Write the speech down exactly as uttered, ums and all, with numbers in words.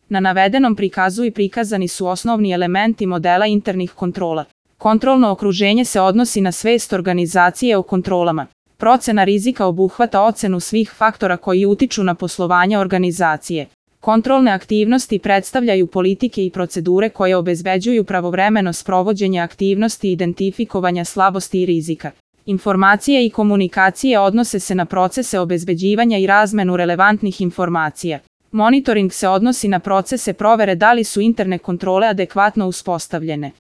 Na navedenom prikazu i prikazani su osnovni elementi modela internih kontrola. Kontrolno okruženje se odnosi na svest organizacije o kontrolama. Procena rizika obuhvata ocenu svih faktora koji utiču na poslovanje organizacije. Kontrolne aktivnosti predstavljaju politike i procedure koje obezbeđuju pravovremeno sprovođenje aktivnosti identifikovanja slabosti i rizika. Informacije i komunikacije odnose se na procese obezbeđivanja i razmenu relevantnih informacija. Monitoring se odnosi na procese provere da li su interne kontrole adekvatno uspostavljene.